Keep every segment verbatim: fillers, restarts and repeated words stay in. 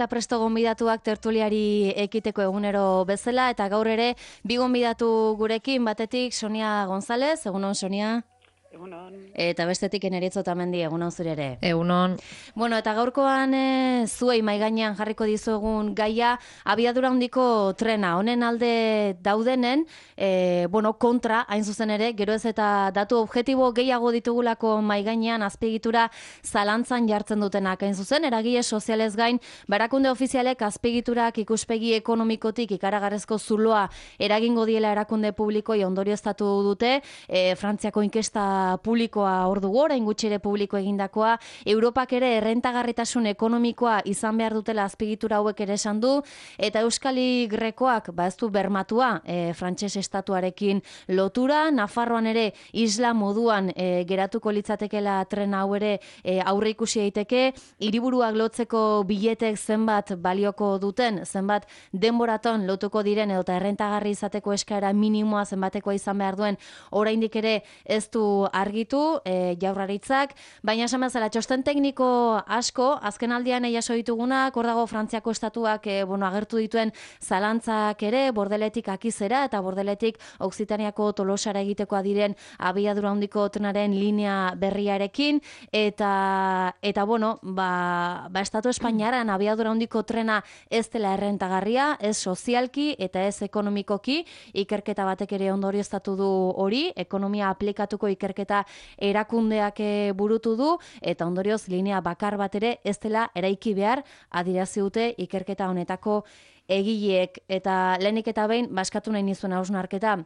Eta presto gonbidatuak tertuliari ekiteko egunero bezala, eta gaur ere bi gonbidatu gurekin, batetik Sonia González, egunon Sonia. Egunon. Eta bestetik Eneritz Otamendi, egunon zure ere. Egunon. Bueno, eta gaurkoan e, zuei mai gainean jarriko dizuegun gaia abiadura handiko trena. Honen alde daudenen, e, bueno, kontra, hain zuzen ere, gero ez eta datu objektibo gehiago ditugulako mai gainean azpiegitura zalantzan jartzen dutenak. Hain zuzen, eragile sozialez gain, barakunde ofizialek azpiegiturak ikuspegi ekonomikotik ikaragarrezko zuloa eragingo diela erakunde publikoi ondorioztatu dute, e, Frantziako inkesta publikoa hor dugu, orain gutxi ere publiko egindakoa, Europak ere errentagarritasun ekonomikoa izan behar dutela azpiegitura hauek ere esan du, eta Euskali Grekoak ba ez du bermatua e, frantses estatuarekin lotura, Nafarroan ere isla moduan e, geratuko litzatekela tren hau ere e, aurre ikusi daiteke, hiriburuak lotzeko biletek zenbat balioko duten, zenbat denboraton lotuko diren edo errentagarri izateko eskaera minimoa zenbatekoa izan behar duen, oraindik ere ez du argitu e, Jaurlaritzak, baina esan bezala txosten tekniko asko, azken aldian jaso ditugunak, hor dago Frantziako estatuak e, bueno, agertu dituen zalantzak ere, Bordeletik Akizera eta Bordeletik Oksitaniako Tolosara egitekoa diren abiadura handiko trenaren linea berriarekin, eta eta bueno, ba, ba estatu Espainiaran abiadura handiko trena ez dela errentagarria, ez sozialki eta ez ekonomikoki, ikerketa batek ere ondorioztatu du hori, ekonomia aplikatuko ikerketa erakundeak burutu du, eta ondorioz linea bakar bat ere ez dela eraiki behar adierazi dute ikerketa honetako egileek. Eta lehenik eta behin baskatu nahi nizuen hausnarketa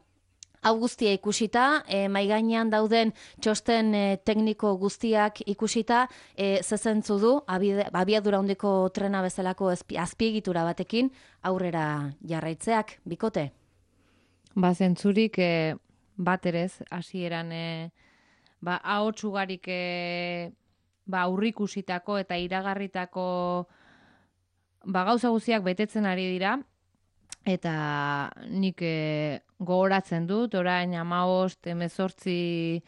hau guztia ikusita, e, mai gainean dauden txosten e, tekniko guztiak ikusita, e, zezentzu du abiadura handiko trena bezalako azpiegitura batekin aurrera jarraitzeak, bikote? Ba, zentzurik e, bat erez, hasieran e, ba, ahots ugarik e, ba, aurrikusitako eta iragarritako ba, gauza guztiak betetzen ari dira, eta nik e, gogoratzen dut, orain hamabost, hemezortzi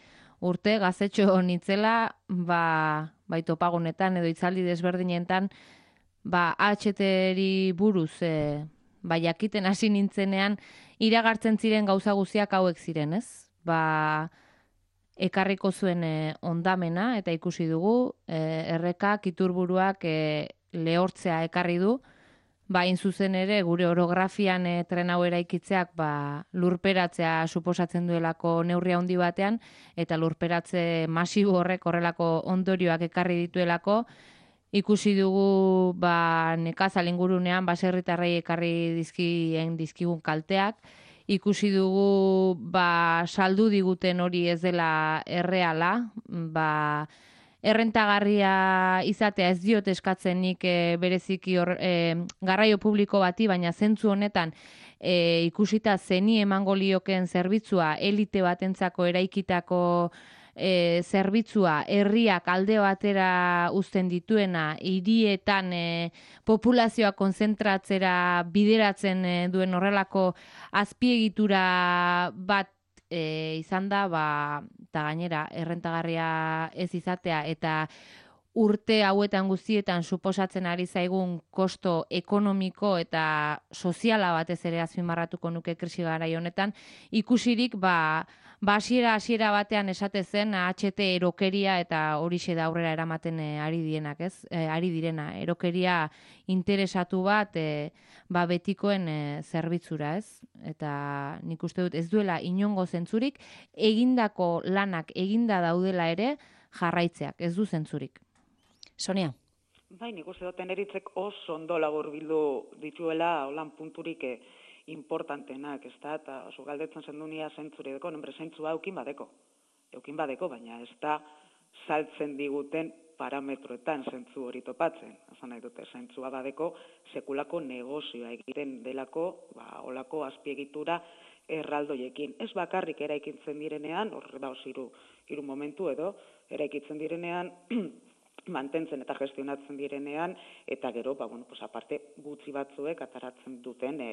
urte gazetxo nitzela, ba, bai topagunetan edo hitzaldi desberdinetan, ba, A H T-ri buruz e, ba, jakiten hasi nintzenean, iragartzen ziren gauza guztiak hauek ziren, ez? Ba, ekarriko zuen e, ondamena, eta ikusi dugu, e, errekak, iturburuak e, lehortzea ekarri du, ba, hain zuzen ere, gure orografian e, tren hau eraikitzeak ba, lurperatzea suposatzen duelako neurri handi batean, eta lurperatze masibo horrek horrelako ondorioak ekarri dituelako, ikusi dugu ba, nekazal ingurunean baserritarrei ekarri dizkien dizkigun kalteak, ikusi dugu ba, saldu diguten hori ez dela erreala, ba, errentagarria izatea ez diot eskatzen nik e, bereziki hor, e, garraio publiko bati, baina zentzu honetan e, ikusita zeni emango lioken zerbitzua, elite batentzako eraikitako e, zerbitzua, herriak alde batera uzten dituena, hirietan e, populazioa konzentratzera bideratzen e, duen horrelako azpiegitura bat E, izan da, ba, eta gainera, errentagarria ez izatea, eta urte hauetan guztietan suposatzen ari zaigun kosto ekonomiko eta soziala batez ere azpimarratuko nuke krisi garai honetan, ikusirik, ba, ba hasiera hasiera batean esate zen H T erokeria eta horixe da aurrera eramaten e, ari dienak, ez? E, ari direna, erokeria interesatu bat e, ba betikoen e, zerbitzura, ez? Eta nik uste dut ez duela inongo zentzurik, egindako lanak eginda daudela ere jarraitzeak, ez du zentzurik. Sonia? Bai, nik uste dut Eneritzek oso ondo laburbildu dituela holan punturik eh, importantenak, ez da, eta oso galdetzen zendunia zentzuri deko, nombre zentzua eukin badeko, eukin badeko, baina ez da saltzen diguten parametroetan zentzu hori topatzen. Azan nahi dute, zentzua badeko sekulako negozioa egiten delako, ba, olako azpiegitura erraldoiekin. Ez bakarrik eraikitzen direnean, hor da hiru hiru momentu edo, eraikitzen direnean, mantentzen eta gestionatzen direnean, eta gero, ba, bueno, pues, aparte gutxi batzuek ataratzen duten e,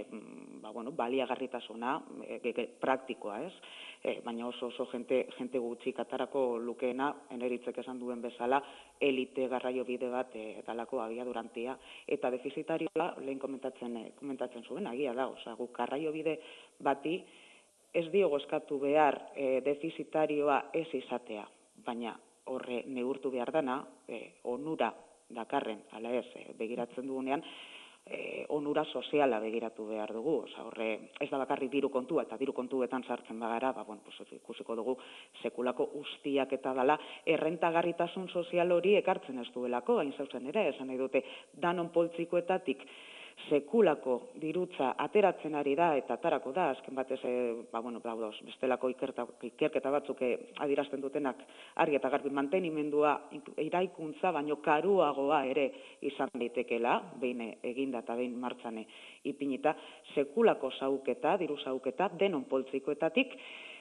ba, bueno, baliagarritasuna e, praktikoa, ez? E, baina oso oso jente, jente gutxik atarako lukeena, eneritzek esan duen bezala, elite garraio bide bat e, dalako abiadurantia, eta defizitarioa lehen komentatzen, e, komentatzen zuen, agia da, osea, guk garraio bide bati ez diogo eskatu behar e, defizitarioa ez izatea, baina horre neurtu behar dana, e, onura dakarren, ala ez, e, begiratzen dugunean, e, onura soziala begiratu behar dugu. Osa, horre ez da bakarri diru kontua, eta diru kontuetan sartzen bagara, ba, bueno, pues, ikusiko dugu sekulako ustiak eta dala, errentagarritasun sozial hori ekartzen ez duelako, hain zauzen ere, esan nahi dute, danon poltsikoetatik, sekulako dirutza ateratzen ari da eta atarako da, azken batez, e, ba, bueno, daudoz, bestelako ikerta, ikerketa batzuk adierazten dutenak argi eta garbi mantenimendua iraikuntza, baino karuagoa ere izan daitekela, behin eginda eta behin martxan ipinita, sekulako zauketa, diru zauketa, denon poltsikoetatik,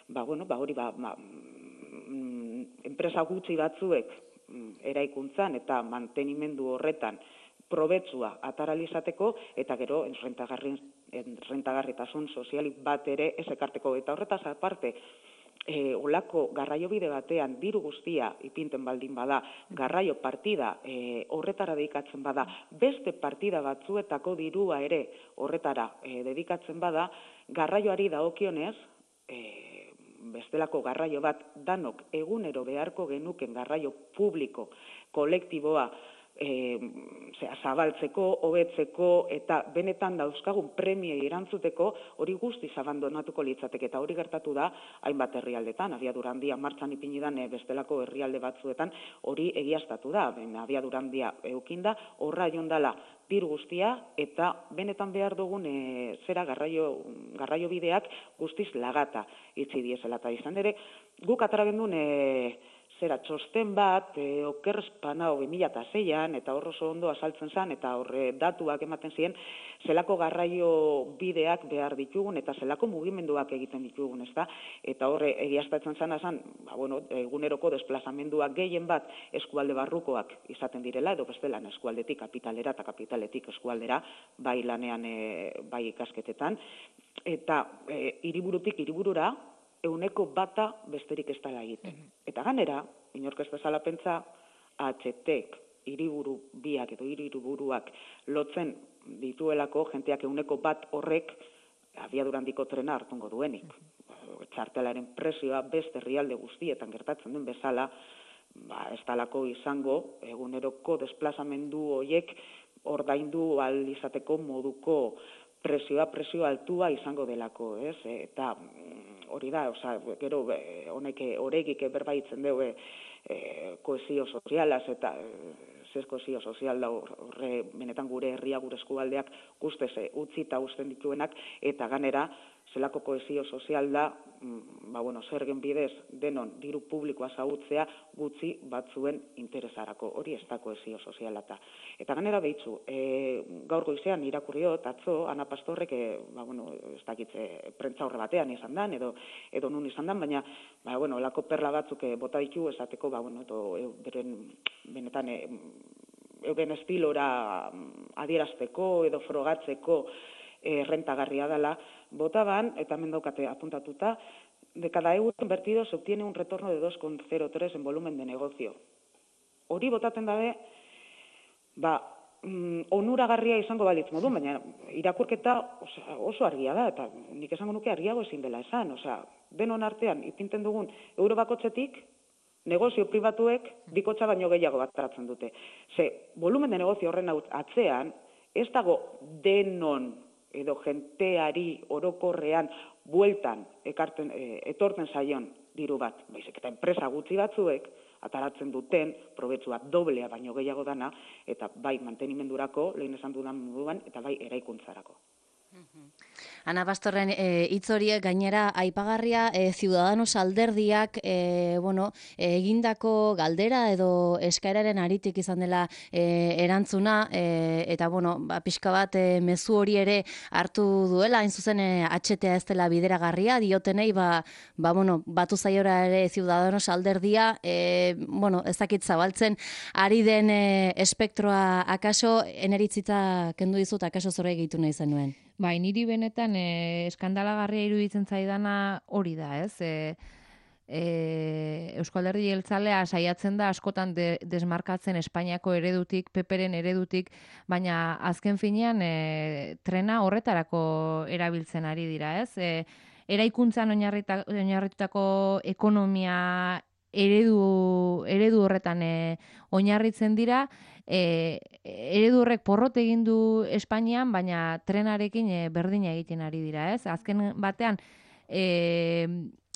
ba, bueno, ba, hori, ba, ba, mm, enpresa gutxi batzuek mm, eraikuntzan eta mantenimendu horretan probetsua ataralizateko, eta gero rentagarritasun sozialik bat ere ez ekarteko. Eta horretaz aparte, e, olako garraio bide batean diru guztia ipinten baldin bada, garraio partida e, horretara dedikatzen bada, beste partida batzuetako dirua ere horretara e, dedikatzen bada, garraioari dagokionez, e, bestelako garraio bat danok egunero beharko genuken garraio publiko, kolektiboa, E, zera, zabaltzeko, hobetzeko eta benetan dauzkagun premiei erantzuteko hori guztiz abandonatuko litzateke, eta hori gertatu da hainbat herrialdetan, abiadura handia martxan ipinidan e, bestelako herrialde batzuetan hori egiaztatu da, ben, abiadura handia eukinda, horra jondala diru guztia eta benetan behar dugun e, zera garraio, garraio bideak guztiz lagata itzi diesela, eta izan ere guk atara gendun e, zera txosten bat, e, oker espanao bi mila seian, eta hor oso ondo azaltzen zen, eta horre datuak ematen ziren, zelako garraio bideak behar ditugun, eta zelako mugimenduak egiten ditugun, ez da? Eta horre egiaztatzen zen, azan, ba, bueno, eguneroko desplazamenduak gehien bat eskualde barrukoak izaten direla, edo bestelan eskualdetik kapitalera eta kapitaletik eskualdera, bai lanean, e, bai ikasketetan, eta e, hiriburutik hiriburura, euneko bata besterik ez dela egiten. Eta ganera, inork ez dezala pentsa, H T-ek hiriburu biak edo hiriburuak lotzen dituelako jenteak euneko bat horrek abiadurandiko trena hartungo duenik. Txartelaren presioa beste herrialde guztietan gertatzen den bezala, ba, ez dalako izango eguneroko desplazamendu horiek ordaindu ahal izateko moduko presioa, presio altua izango delako, ez? Eta hori da, oza, gero honek oregik berbaitzen dugu e, kohesio sozialaz eta zez kohesio sozial da horre benetan gure herria, gure eskualdeak guztez utzi eta usten dituenak, eta ganera zelako kohesio sozial da, ba, bueno, zergen bidez denon diru publikoa zautzea gutxi batzuen interesarako, hori ez da kohesio soziala. Eta ganera behitzu, e, gaur goizean irakurriot, atzo, Ana Pastorrek, e, ba, bueno, ez dakitze, prentza horre batean izan dan, edo, edo nun izan dan, baina, ba, bueno, lako perla batzuk e, bota ditu esateko, ba, bueno, edo, e, beren, benetan, e, euren estilora adierazteko edo frogatzeko e, rentagarria dela, botaban, eta hemen daukate apuntatuta, de cada euro invertido se obtiene un retorno de dos coma cero tres en volumen de negocio. Hori botaten dabe, ba, mm, onuragarria izango balitz modu, baina irakurketa osa, oso argia da, eta nik esango nuke argiago ezin dela esan, osea, denon artean ipinten dugun euro bakotzetik, negozio pribatuek bikotxa baino gehiago bat taratzen dute. Ze, volumen de negozio horren atzean, ez dago denon edo jenteari orokorrean bueltan ekarten, e, etorten zaion diru bat. Baizik eta enpresa gutxi batzuek ataratzen duten probetxua doblea baino gehiago dana, eta bai mantenimendurako, lehen esan dudan moduan, eta bai eraikuntzarako. Ana Pastorren hitz e, horiek gainera aipagarria e, Ciudadanos alderdiak e, bueno, e, egindako galdera edo eskaeraren aritik izan dela e, erantzuna e, eta bueno, ba, pixka bat e, mezu hori ere hartu duela, hain zuzen e, H T A ez dela bideragarria, diotenei ba, ba bueno, batu zaiora ere Ciudadanos alderdia, e, bueno, ez dakit zabaltzen ari den e, espektroa akaso eneritzita kendu dizut akaso zorre egitu nahi zenuen. Bai, niri benetan e, eskandalagarria iruditzen zaidana hori da, ez? E, e, Eusko Alderdi Jeltzalea saiatzen da askotan de, desmarkatzen Espainiako eredutik, Peperen eredutik, baina azken finean e, trena horretarako erabiltzen ari dira, ez? E, eraikuntzan oinarritutako ekonomia eredu, eredu horretan e, oinarritzen dira, E, eredu horrek porrot egin du Espainian, baina trenarekin e, berdina egiten ari dira, ez? Azken batean, e,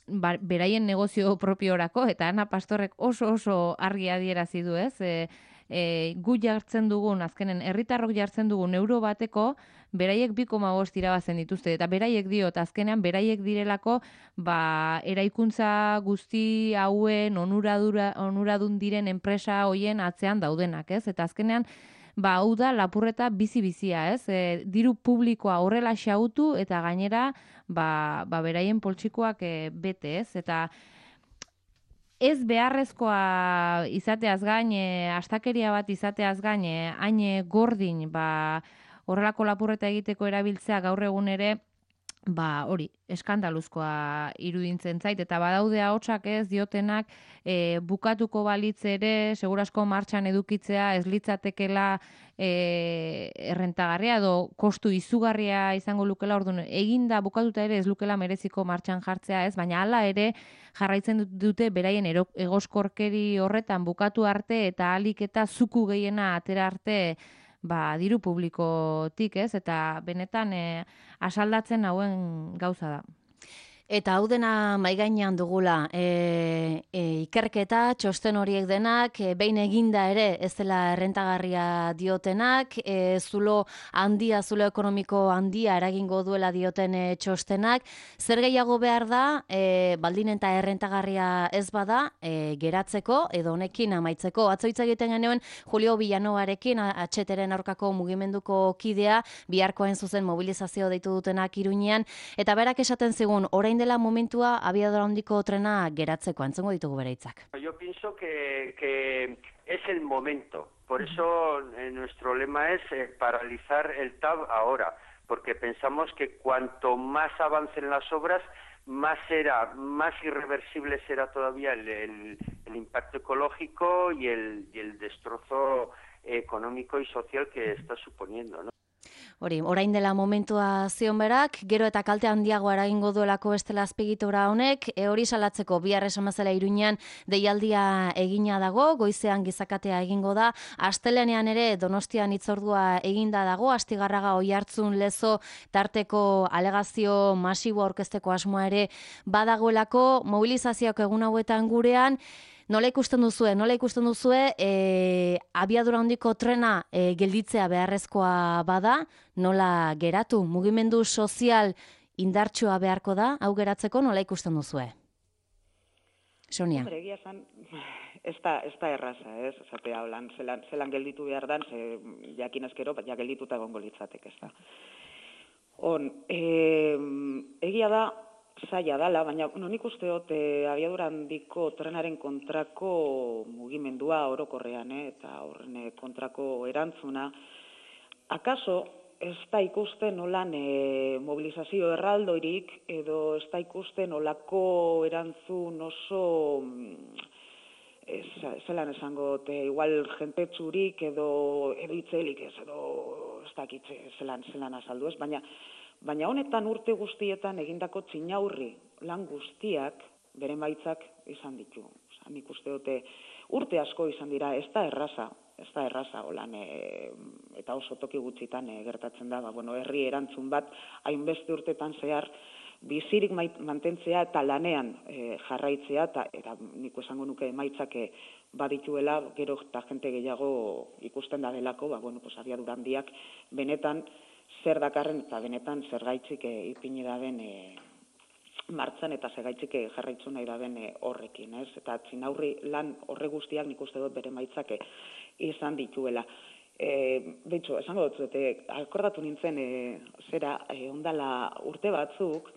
ba, beraien negozio propiorako, eta Ana Pastorrek oso oso argi adierazi du, ez? E, e, gu jartzen dugun, azkenen herritarrok jartzen dugun euro bateko, beraiek bi koma bost irabazen dituzte, eta beraiek diot, azkenean beraiek direlako, ba, eraikuntza guzti hauen onuradura, onuradun diren enpresa hoien atzean daudenak, ez? Eta azkenean, ba, hau da lapurreta bizi-bizia, ez? E, diru publikoa horrela xautu, eta gainera, ba, ba beraien poltsikoak e, bete, ez? Eta ez beharrezkoa izateaz gain, e, astakeria bat izateaz gain, e, hain gordin, ba, horrelako lapurreta egiteko erabiltzea gaur egun ere, ba, hori, eskandaluzkoa irudintzen zait, eta badaude ahotsak ez diotenak e, bukatuko balitz ere, segurasko martxan edukitzea ez litzatekela e, errentagarria edo kostu izugarria izango lukela, orduan eginda bukatuta ere ez lukela mereziko martxan jartzea ez, baina hala ere jarraitzen dute beraien egoskorkeri horretan bukatu arte eta ahalik eta zuku gehiena atera arte ba, diru publikotik, ez? Eta benetan e, asaldatzen hauen gauza da. Eta hau dena maigainean dugula, e, e, ikerketa, txosten horiek denak, e, behin eginda ere ez dela errentagarria diotenak, e, zulo handia, zulo ekonomiko handia eragingo duela dioten e, txostenak, zer gehiago behar da, e, baldin eta errentagarria ez bada, e, geratzeko edo honekin amaitzeko. Atzo hitz egiten genuen Julio Villanovarekin, H T-ren aurkako mugimenduko kidea, biharko hain zuzen mobilizazio deitu dutenak Iruñean, eta berak esaten zigun, orain dela momentua abiadura handiko trena geratzeko, entzongo ditugu bere hitzak. Yo pienso que, que es el momento, por eso eh, nuestro lema es eh, paralizar el T A B ahora, porque pensamos que cuanto más avancen las obras, más será, más irreversible será todavía el, el, el impacto ecológico y el, y el destrozo económico y social que está suponiendo, ¿no? Hori, orain dela momentua zion berak, gero eta kalte handiago eragingo duelako bestela azpiegitura honek, e, hori salatzeko bihar esan bezala Iruñean deialdia egina dago, goizean gizakatea egingo da, astelenean ere Donostian hitzordua eginda dago, Astigarraga Oiartzun Lezo tarteko alegazio masibo aurkezteko asmoa ere badagoelako, mobilizazioak egun hauetan gurean. Nola ikusten duzue, nola ikusten duzue, e, abiadura handiko trena e, gelditzea beharrezkoa bada, nola geratu, mugimendu sozial indartsua beharko da, hau geratzeko nola ikusten duzue? Sonia. Hombre, egia esan, ez da, ez da erraza, ez, esatea holan, zelan, zelan gelditu behar dan, ze jakin ezkero, ja geldituta egongo litzatek, ez da. On, e, egia da, zaila dala, baina no, nik uste dut e, abiadura handiko trenaren kontrako mugimendua orokorrean, eh, eta horren kontrako erantzuna, akaso ez da ikusten nolan e, mobilizazio erraldoirik, edo ez da ikusten nolako erantzun oso, ez, zelan esango, te, igual jentetzurik edo, edo itzelik ez, edo ez dakitze zelan, zelan azaldu ez, baina Baina honetan urte guztietan egindako txinaurri lan guztiak beren baitzak izan ditu. Osa, nik uste dute urte asko izan dira, ez da erraza, ez da erraza holan, e, eta oso toki gutxitan e, gertatzen da, ba, bueno, herri erantzun bat hainbeste urtetan zehar bizirik mantentzea eta lanean e, jarraitzea, eta, eta nik esango nuke emaitzak e, badituela, gero eta jente gehiago ikusten da delako, ba, bueno, pues, abiadura handiak benetan zer dakarren eta benetan zergaitzik e, ipini da ben e, martzan eta zergaitzik e, jarraitzu nahi da ben e, horrekin, ez? Eta txinaurri lan horre guztiak nik uste dut bere maitzak e, izan dituela. E, Beitxo, esango dut, e, akordatu nintzen e, zera e, ondala urte batzuk,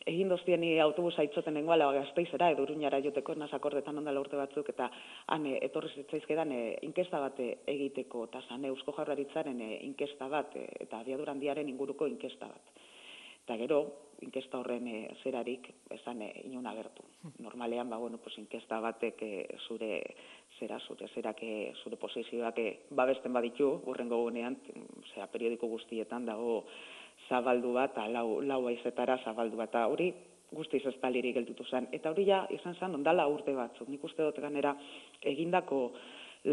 egin doztieni autobusa itxoten nengoala Gasteizera, edo Iruñara joteko, naz akordetan ondala urte batzuk, eta han e, etorri zitzaizkedan e, inkesta bat e, egiteko, eta zan Eusko Jaurlaritzaren e, inkesta bat, e, eta abiadura handiaren inguruko inkesta bat. Eta gero, inkesta horren e, zerarik, esan e, inon agertu. Normalean, ba, bueno, pues, inkesta batek e, zure zera, zure zerak, e, zure posizioak e, babesten baditu, urrengo gunean, zera, periodiko guztietan dago zabaldu bat, lau, lau aizetara zabaldu bat, eta hori guztiz ez taliri gelditu zen. Eta hori ja izan zen ondala urte batzuk. Nik uste dut ganera egindako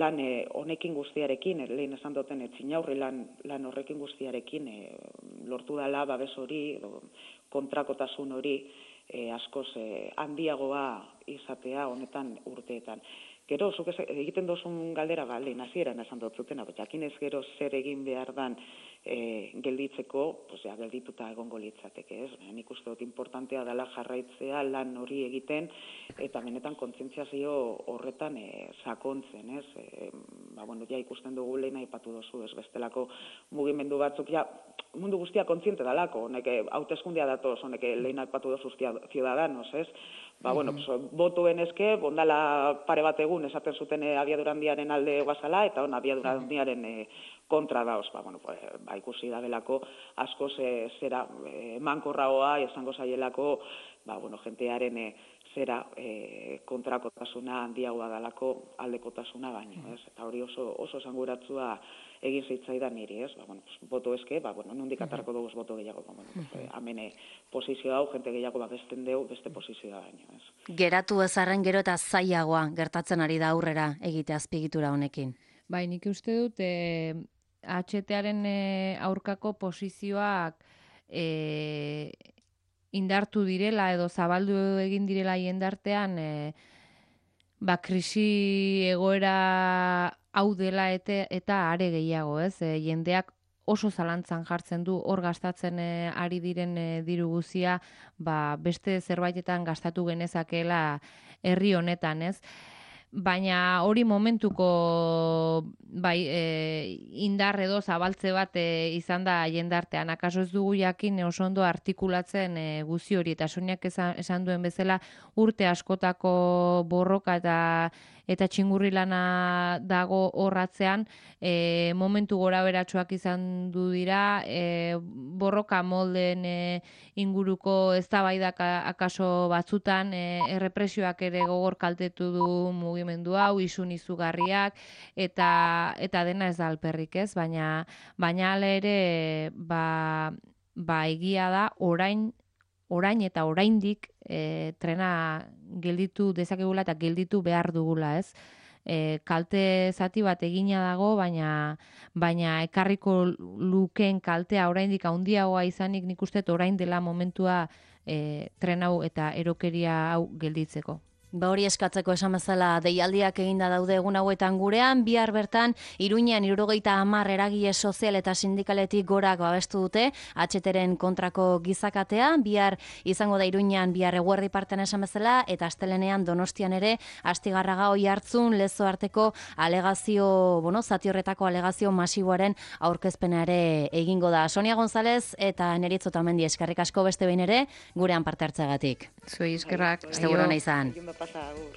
lan e, honekin guztiarekin, e, lehen esan duten etxinaurri lan, lan horrekin guztiarekin e, lortu dela babes hori, edo, kontrakotasun hori e, askoz e, handiagoa izatea honetan urteetan. Gero, zuk egiten dozun galdera, ba, lehen hasieran esan dut zutena, jakin ez gero zer egin behar dan e, gelditzeko, pues, ja, geldituta egongo litzateke, ez? Nik uste dut importantea dela jarraitzea lan hori egiten, eta benetan kontzientziazio horretan e, sakontzen, ez? E, ba, bueno, ja ikusten dugu lehen aipatu dozu, ez bestelako mugimendu batzuk, ja, mundu guztia kontziente dalako, honek hauteskundia datoz, honek lehen aipatu dozu ciudadanos, ez? Ba, bueno, pues, botuen eske, bondala pare bat egun esaten zuten e, abiadura handiaren alde guazala, eta on abiadura handiaren e, kontra daoz. Ba, bueno, pues, ba, ikusi da belako asko ze, zera e, mankorragoa, esango zaielako, ba, bueno, jentearen e, zera e, kontrakotasuna handiagoa dalako aldekotasuna baino, ez? Eta hori oso, oso esanguratsua egin zitzaidan niri, ez? Ba, bueno, pues, boto eske, ba, bueno, nondik atarko dugu boto gehiago, ba, bueno, pues, amene posizio hau, jente gehiago babesten deu, beste posizioa baino, ez? Geratu ezarren gero eta zailagoa gertatzen ari da aurrera egite azpigitura honekin. Bai, nik uste dut, e, H T-aren e, aurkako posizioak e, indartu direla edo zabaldu egin direla jendartean, e, ba, krisi egoera hau dela ete, eta are gehiago, ez? E, jendeak oso zalantzan jartzen du hor gastatzen e, ari diren e, diru guzia, ba, beste zerbaitetan gastatu genezakeela herri honetan, ez? Baina hori momentuko bai, e, indar edo zabaltze bat e, izan da jendartean. Akaso ez dugu jakin oso ondo artikulatzen e, guzi hori, eta Soniak esan, esan duen bezala urte askotako borroka eta eta txingurri lana dago horratzean, e, momentu gora beratxoak izan du dira, e, borroka molden e, inguruko eztabaidak akaso batzutan, e, errepresioak ere gogor kaltetu du mugimendu hau, isun izugarriak, eta eta dena ez da alperrik, ez? Baina baina hala ere, ba, ba egia da orain orain eta oraindik e, trena gelditu dezakegula eta gelditu behar dugula, ez? E, kalte zati bat egina dago, baina baina ekarriko lukeen kaltea oraindik handiagoa izanik, nik uste orain dela momentua e, tren hau eta erokeria hau gelditzeko. Ba hori eskatzeko esan bezala deialdiak eginda daude egun hauetan gurean, bihar bertan Iruñean hirurogeita hamar eragile sozial eta sindikaletik gorak babestu dute H T-ren kontrako gizakatea, bihar izango da Iruñean bihar eguerdi partean esan bezala, eta astelenean Donostian ere Astigarraga Oiartzun lezo arteko alegazio, bueno, zati horretako alegazio masiboaren aurkezpena ere egingo da. Sonia González eta Neritz Otamendi, eskerrik asko beste behin ere gurean parte hartzeagatik. Zuei eskerrak. Beste gurona izan. Pasa, agur.